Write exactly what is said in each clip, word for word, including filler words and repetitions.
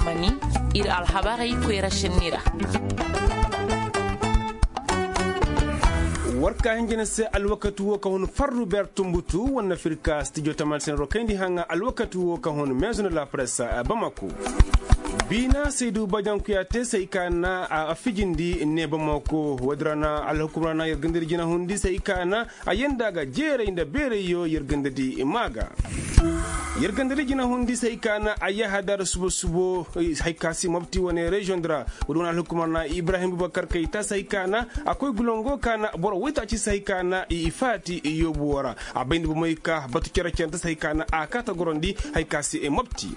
Mani, ir alhabarey koyra šenni ra. War ka hinjina se alwakati wo ka hun farru beer tumbutu wane afirka stijo taman senero kayndi haŋa alwakati wo ka hun meezu nda la presse bamako. Biina saydu bajankuya te se hay ka na a fijindi ne bamako woodi ra na alhukumra na yer gandadi jina hundi se hay ka na a yanda ga jeeray nda beerayyo yer gandadi maa ga. Yer gandadi jina hundi se hay ka na a yahadar subo subo hay ka si mobti wane reziyoŋ di ra. Woodi wane alhukumar na ibrahim bubakar kayta se hay ka na a koy gulongo ka na boro waytaaci se hay ka na i faati yoobu wo ra. A bay nda bomey ka batu cere-cerente se hay ka na a kaata gorondi hay ka si mobti.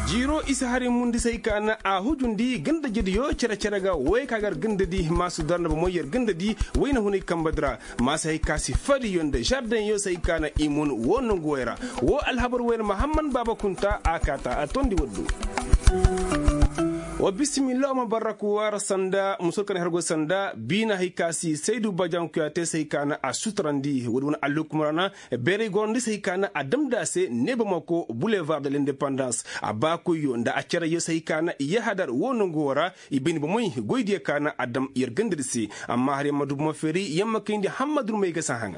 Jiiro isa hari mundi se hay ka na a hujundi ganda jediyo cere-cere ga woy ka gar ganda di maasu dar nda bomey yer ganda di wayna hunay kamba di ra. Maasa hay ka si fariyo nda žardeŋyo se hay ka na i mun woo nongu woy ra. Woo alhabar woy na mahamman baaba kunta a kaata a tondi waddu. Wa bisimilla wa ma barraku waara sanda musur ka na hergo sanda biina hay ka si saydu bajankuya te se hay ka na a suturandi woodi wane alhukum ra na. Beeray gorandi se hay ka na a damndi a se neeba mako bulevar de lindepandans a baakoyyo nda a cereyyo se hay ka na i yahadar woo nongu woo ra. I bay ni bomey goydiyo ka na a dam yer gandadi se. Amma har yer ma du bomo feeri yer ma kayndi hammadurmey ga si a haŋa.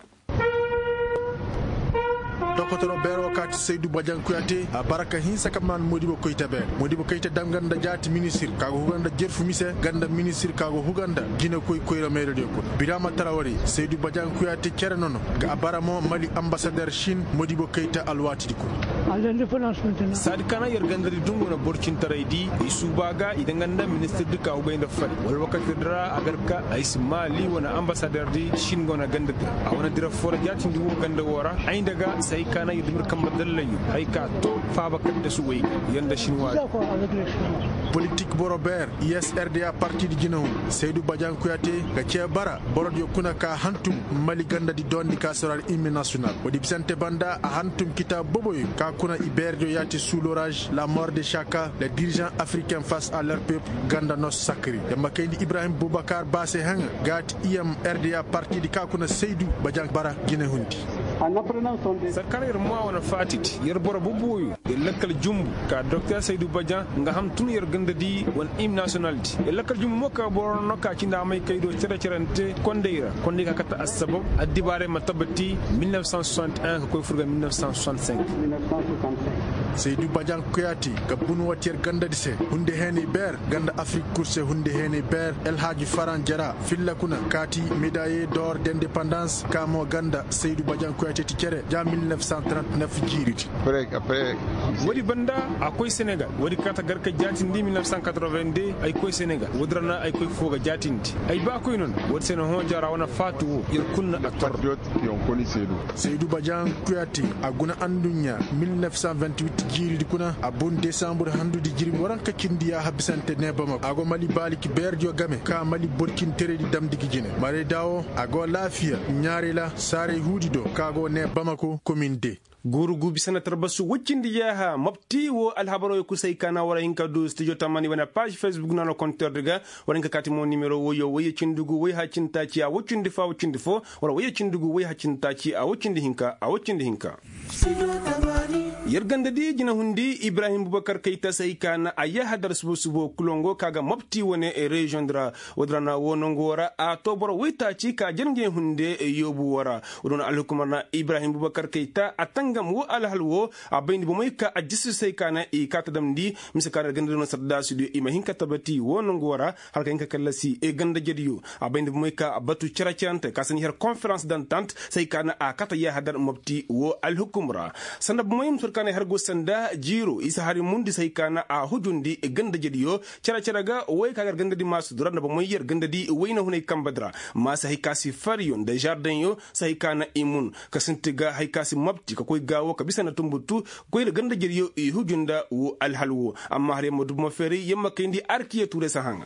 Dokotoro beero kaati saydu bajankuya te a bara ka hinsa ka maan moodibo koyta beer moodibo koyta dam ganda jaati ministir ka go huga nda jerfu mise ganda ministir ka go huga nda jinekoy koyra mayradiyo kuna biraama tara wari saydu bajankuya te cere nono. Ga a bara mo mali ambasader sin moodibo koyta alwaatidi kuna. Saadi ka na yer gandadi dungu na borcintaraydi i suuba ga i danga nda ministirdi ka hugay nda fari wala wakatidi ra a gar ka ay si maali wane ambasaderdi sin go na gandadi ra a wane dira foo ra jaatindi woo ganda woo ra ay nda ga se hay ka na yer dumir kamba dallayyo hay ka to faaba kaddasu way ga yer nda sin waadi. Politik boro beer isrda partidi jinahun saydu bajaŋ kuyate ga cee bara borodiyo kuna ka hantum mali gandadi doondi ka sorar himne nasiyonal woodi bisante banda a hantum kitaabu boboyo ka kuna i beerediyo yaati suu loraaz la mor de saka le dirižan afriken fas a ler pep ganda nos sakri yer ma kayndi ibrahim bubakar ba se haŋa gaati iyam rda partidi ka kuna saydu bajaŋ bara jinehundi. Sarkar yer ma wane faatidi yer boro boboyo yer lakkal jumbu ka doktor saydu bajaŋ nga ham tun yer gandadi wane himne nasiyonaldi yer lakkal jumbu mo ka boro no ka cindi a may kay do cere-cerante kondey ra kondey ka kate assabab addibaarey ma tabati mil nef san soixante un ka koy fur ga mil nef san soixante cinq. Saydu bajaŋ kuyaati ga bunu wati yer gandadi se hunde heenay beer ganda afrik kul se hunde heenay beer elhaaji faran jara filla kuna kaati medaye dor de indepandans ka mo ganda saydu bajaŋ kuyaati ti cere ja mil nef san trente nef jiiridi. Woodi banda a koy senegal woodi kaata gar ka jaatindi mil nef san quatre-vingt-deux ay koy senegal woodi ra na ay koy foo ga jaatindi ay baa koy noon. Woodi se na hõ jara wane faatu woo yer kul na a tor. Saydu bajaŋ kuyaati a guna anduɲɲa mil nef san vingt-huit jiiridi kuna a bun desambur handudi jirbi waranka cindi yaaha bisante ne bamako a go mali baaliki beerediyo game ka mali borcinteredi damndi gi jine marayda woo a go laafiya ɲaarey ra saaray huudi do ka go ne bamako komin de. Guuru guubi sanatar basu woy cindi yaaha mobti woo alhabaroo yo kul se hay ka na war a hin ka du stijo tamani wane paaz fesbuk naanoo konterdi ga. War a hin ka kaati mo nimero woyyo woyye cindi gu woy haya cindi taaci a woy cindi foo a woy cindi foo war a woyye cindi gu woy haya cindi taaci a woy cindi hinka a woy cindi hinka. Yer gandadi jinahundi ibrahim bubakar kayta se hay ka na a yaaha dar subo subo kulongo ka ga mobti wane reziyoŋ di ra. Woodi ra na woo nongu woo ra a too boro woytaaci ka jar ngey hunde yoobu woo ra. Woodi wane alhukumar na ibrahim bubakar kayta a tangam woo alhal woo a bay nda bomey ka a jisi se hay ka na i kaa ta damndi mise ka na gandadi no sardaasidiyo i ma hin ka tabati woo nongu woo ra. Hala ka hin ka kallasi gandajediyo a bay nda bomey ka batu cere-cerante ka sandi har konferans dantant se hay ka na a kata yahadar mobti woo alhukum ra. Sanda bomey mise war ka na har go sanda jiiro isa hari mundi se hay ka na a hujundi gandajediyo cere-cere ga woy ka gar gandadi maasudi ra nda bomey yer gandadi woyna hunay kambadi ra. Maasa hay ka si fariyo nda žardeŋyo se hay ka na i mun ka sinti ga hay ka si mobti ka koy gaawo ka bisa nda tumbutu koy nda gandajediyo i huju nda woo alhal woo. Amma har yer ma du bomo feeray yer ma kayndi arkiya tuure se haŋa.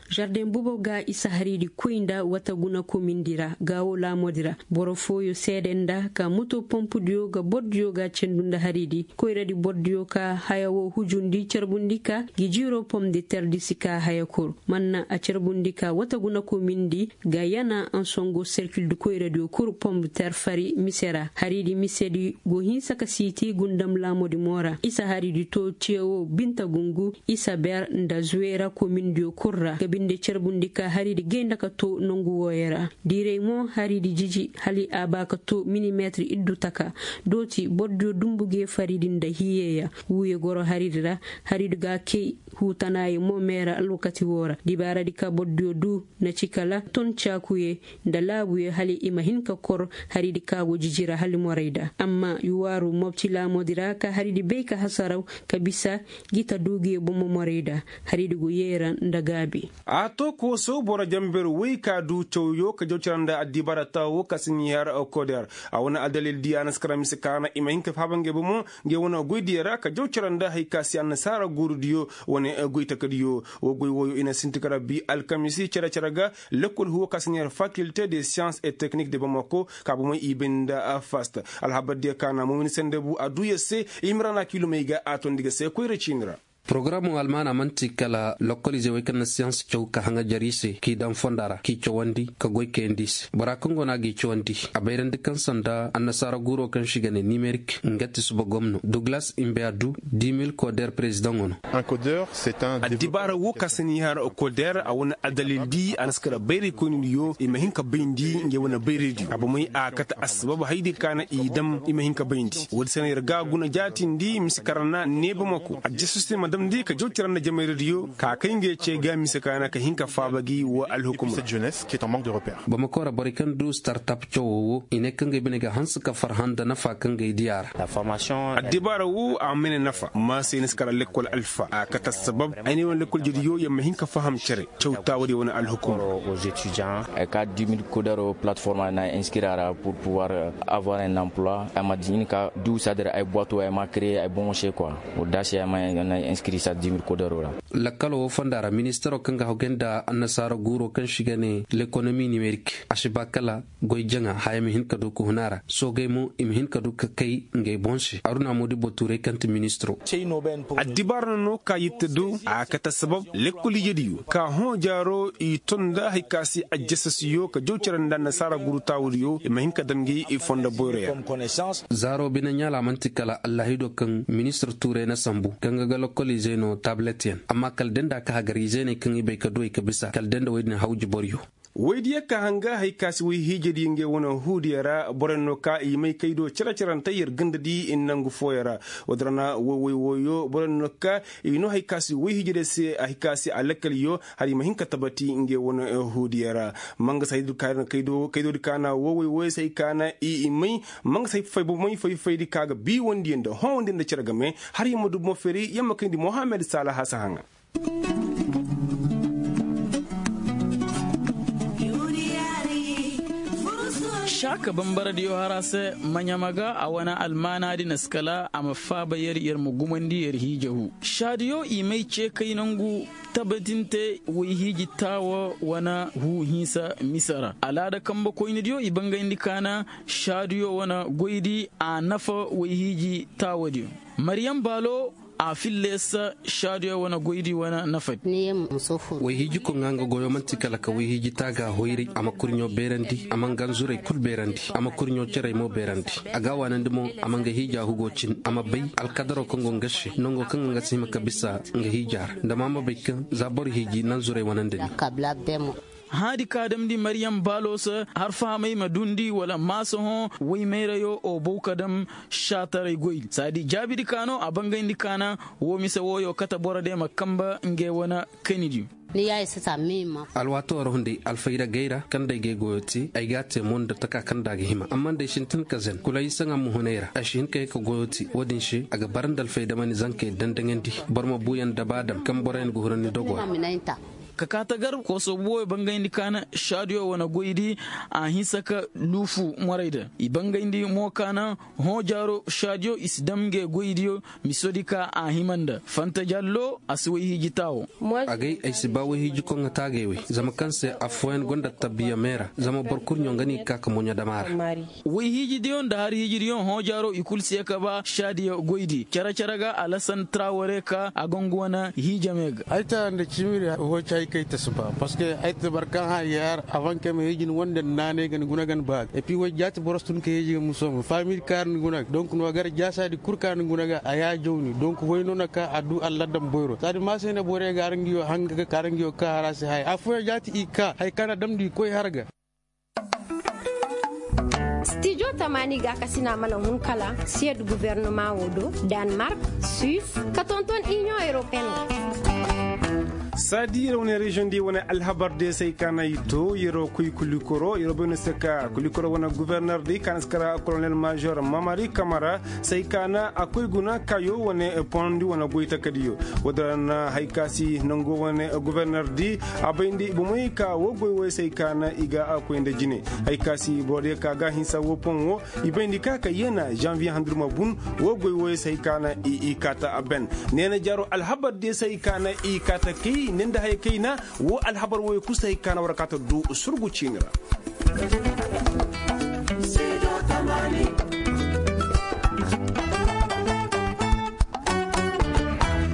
Žardeŋ bobo ga isa haridi koy nda wata guna komindi ra gaawo laamodi ra. Boro fooyo seede nda ka moto pompudiyo ga bordiyo ga cendu nda haridi koyradi bordiyo ka haya wo hujundi carbundi ka gi jiiro pom de terdi si ka haya kuru. Manna a carbundi ka wata guna komindi ga yana ansongo serkildi koyradiyo kuru pom de ter fari mise ra haridi misedi go hinsa ka siiti gundam laamodi mo ra isa haridi to cewo binta gungu isa ber nda zuwera komindiyo kul ra ga binde carbundi ka haridi gay nda ka to nongu wooyo ra. Diiray mo haridi jiji hala a ba ka to milimetir iddu taka. Dooti bordiyo dumbu ga ye faridi nda hiyeya wuuye goro haridi ra. Haridi ga kay huutanaaye mo meera alwakati woo ra dibaaradi ka bordiyo du na ci kala ton caakuye nda laabuye hala i ma hin ka kor haridi ka go jiji ra hala morayda amma yuwaaru mobti laamodi ra ka haridi bay ka hasaraw ka bisa gi ta duuguye bomo morayda. Haridi go yeera nda gaabi. A to kooso boro jamber woy ka du cawyo ka jaw cara nda addibaara taawo ka si ɲi har koder. A wane adalil di a na si kara mise ka na i ma hin ka faaba ngey bomo ngey wane goydiyo ra ka jaw cara nda hari ka si annasaara guurudiyo wane goy takadiyo. Woo goy wooyo i na sinti ka rabbi alkamisi cere cere ga. Lekkol huwo ka si ɲi har fakilte de siyans et teknik de bamako ka bomey i bay nda fast. Alhabardiyo ka na momin sende bu a duu yer se. Imrana kilomey ga a tondi ga se koyra ciini ra. Porogaram wo almaana man'ti kala lokoliizey wey kaŋ na siyans caw ka haŋajar i se k'i daŋ fonda ra k'i cawandi ka goy kayandi i se bora kaŋ go no a g'i cawandi. A bayrandi kaŋ sanda annasaara guuro kaŋ se i ga ne nimerik nga ti suba gomno duglas imbe a du dimil koder perezidaŋo no. Addibaara wo ka si ni har koder a wane adalil di a na si kala bayraykoynidiyo i ma hin ka bayndi ngey wane bayraydiyo a bomey a kate assabab haydi ka na i dam i ma hin ka bayndi. Woodi se no yer ga guna jaatindi mise kaŋ ra na neeba mako a jesusi ma damndi ka jaw cere nda jamayradiyo ka kay ngey ce ga mise kaŋ na ka hin ka faaba gi wa alhukumra. Bamako ra borey kaŋ du startap cawoo wo i ne kaŋ ga ay bine ga hanse ka farhã nda nafa kaŋ ga ay di a ra. Addibaara wo a mene nafa ma se ni si kara lekkol alfa a kate assabab ay ne wane lekkol jediyo yer ma hin ka faham cere. Caw taawadiyo wane alhukumra. Ay ka dimil kodaro platform ay na inskiri a ra pur puwar avoir un emploi ay ma di hin ka du sadir ay boito ay ma kreye ay boŋo se kwa. Wodda se ay ma inskiri sa dimil kodaro ra. Lakkalo wo fonda ra ministaro kaŋ ga hawgay nda annasaara guuro kaŋ se i ga ne lekonomi nimerik a si ba kala goy jaŋa haya ma hin ka du ka hun a ra soogay mo i ma hin ka du ka kay ngey boŋ se aruna modibo tuuray kaŋ ti ministaro. Addibaara no no ka yitte do a kate sabab lekkol ijediyo ka hõ jaaro i ton nda hari ka se ajjasasiyo ka jaw cere nda annasaara guru taawudiyo i ma hin ka dam ngey i fonda boyroya. Zaaro bine ɲaala man'ti kala allahido kaŋ ministir tuuray na sambu kaŋ ga ga lokkol izey no tablet yaŋ amma kala da nda ka hagar izey ne kaŋ i bay ka du ay ka bisa kala da nda woy din hawji boryo. Woydiyo ka hanga hari ka se woy hiijadiyo ngey wane huudiyo ra boroyaŋ no ka i may kaydo cere-cerante yer ganda di nangu fooyaŋ ra. Woodin ra na woy woy wooyo boroyaŋ no ka i no hari ka se woy hiijadiyo se hari ka se a lakkaliyo hari i ma hin ka tabati ngey wane huudiyo ra. Manga se hari di ka na kaydo kaydo di ka na woy woy wooyo se hari ka na i may manga se hari fay bomey fay fay di ka ga biiwandiyo nda hõwandiyo nda cere game hari i ma du bomo feeri yer ma kayndi mohammed saalaha si haŋa. Saaka bambaradiyo har a se maɲama ga a wane almaanaadi na si kala a ma faaba yer yer ma gumandi yer hiija huu saadiyo i may ce kay nangu tabatinte woy hiiji taawa wane huu hinsa mise ra alaada kambe koynidiyo i bangayndi kaana saadiyo wane goydi a nafa woy hiiji taawadiyo. Maryam baalo a filla yer se saadiyo wane goydi wane nafadi. Woy hiijiko ŋaa nga goyo man'ti kala ka woy hiiji taaga hoyray a ma kurɲo beerandi a ma nga nzuray kul beerandi a ma kurɲo cerey mo beerandi. A ga a waanandi mo a ma nga hiija hugo cin a ma bay alkadaro kaŋ go nga se nango kaŋ ga nga si hima ka bisa nga hiija ra nda ma ma bay kaŋ za boro hiiji nanzuray wanandi ni. Hãadi ka damndi maryam baalo se har fahamey ma dundi wala maasa hõ woy mayrayo o bow ka dam saataray goydi saadi jaabidi ka no a bangayndi kaana. Woo mise wooyo kate borodiyo ma kanbe ngey wane kanidiyo. Alwaatoo ra hunday alfaydagey ra kaŋ nda ay ga ay goyo te ay ga a te mo nda taka kaŋ nda a ga hima amma nda ay sintin ka zen kula ay saŋa ma hun ay ra ay si hin ka ye ka goyo te woo-din se a ga bara nda alfaydamani zankey dandaŋandi. Boro ma buuyaŋ nda ba dam kaŋ boroyaŋ ga huru ni dogo ra. Ka kaa tagar kooso booyo bangayndi ka na šaadiyo wane goydi a hinsa ka luufu morayda i bangayndi mo ka na hõ jaaro šaadiyo i si dam ngey goydiyo. Misodi ka a hima nda fanta jallo a si wayhiiji taawo. Agay ay si ba wayhiiji koŋ ga taagay wey zama kaŋ se affooyaŋ gonda tabbiya meera zama boro kul ɲoŋ ga no i ga ka ka moɲo dam a ra. Wayhiijidiyo nda harhiijidiyo hõ jaaro i kul si ye ka ba šaadiyo goydi cere-cere ga alasan traware ka a go nga wane hiijame ga. Ay tara nda ciimiri hooci haykay ta si ba parceque ay ta bara kaŋ hã yaar avanke ma hiiji ni wande naanay ga ni guna ga ni ba ga epi way jaati boros tun ka hiiji ga musooma faamiri kaara ni guna ga donk no gar jaasaadi kul kaara ni guna ga a yaajaw ni donk way no na ka a du alladam boyro saadi maasayna borey ga araŋ ga yo hanga ga ka araŋ ga yo ka hara se haya affooyaŋ jaati i ka hari kaŋ na damndi i koy har ga. Stijo tamaani gaakasina mana hun kala siyed guvernama wo do, danmark, suisse, ka tonton inion europeen wo. Saadi yer wane reziyoŋ di wane alhabar de se ay kaana i to yer wo koy kulikoro yer wo bay no se ka kulikoro wane guverner di kaana si kara kolonel major mamari kamara se ay kaana a koy guna kayo wane ponondi wane goy takadiyo. Wo-din ra na hari ka si nango wane guverner di a bayndi bomey ka wo goy woy se ay kaana i ga a koy nda jine. Hari ka si borodiyo ka ga a hinsa wo poŋ wo i bayndi ka ka yeena zanviye handirma bun. Wo goy woy se hari ka na i kaata a ben neena jaaro alhabar diyo se hari ka na i kaata kay ne nda haya kayna. Wo alhabar woy kul se hari ka na war kaata du surgu ciini ra.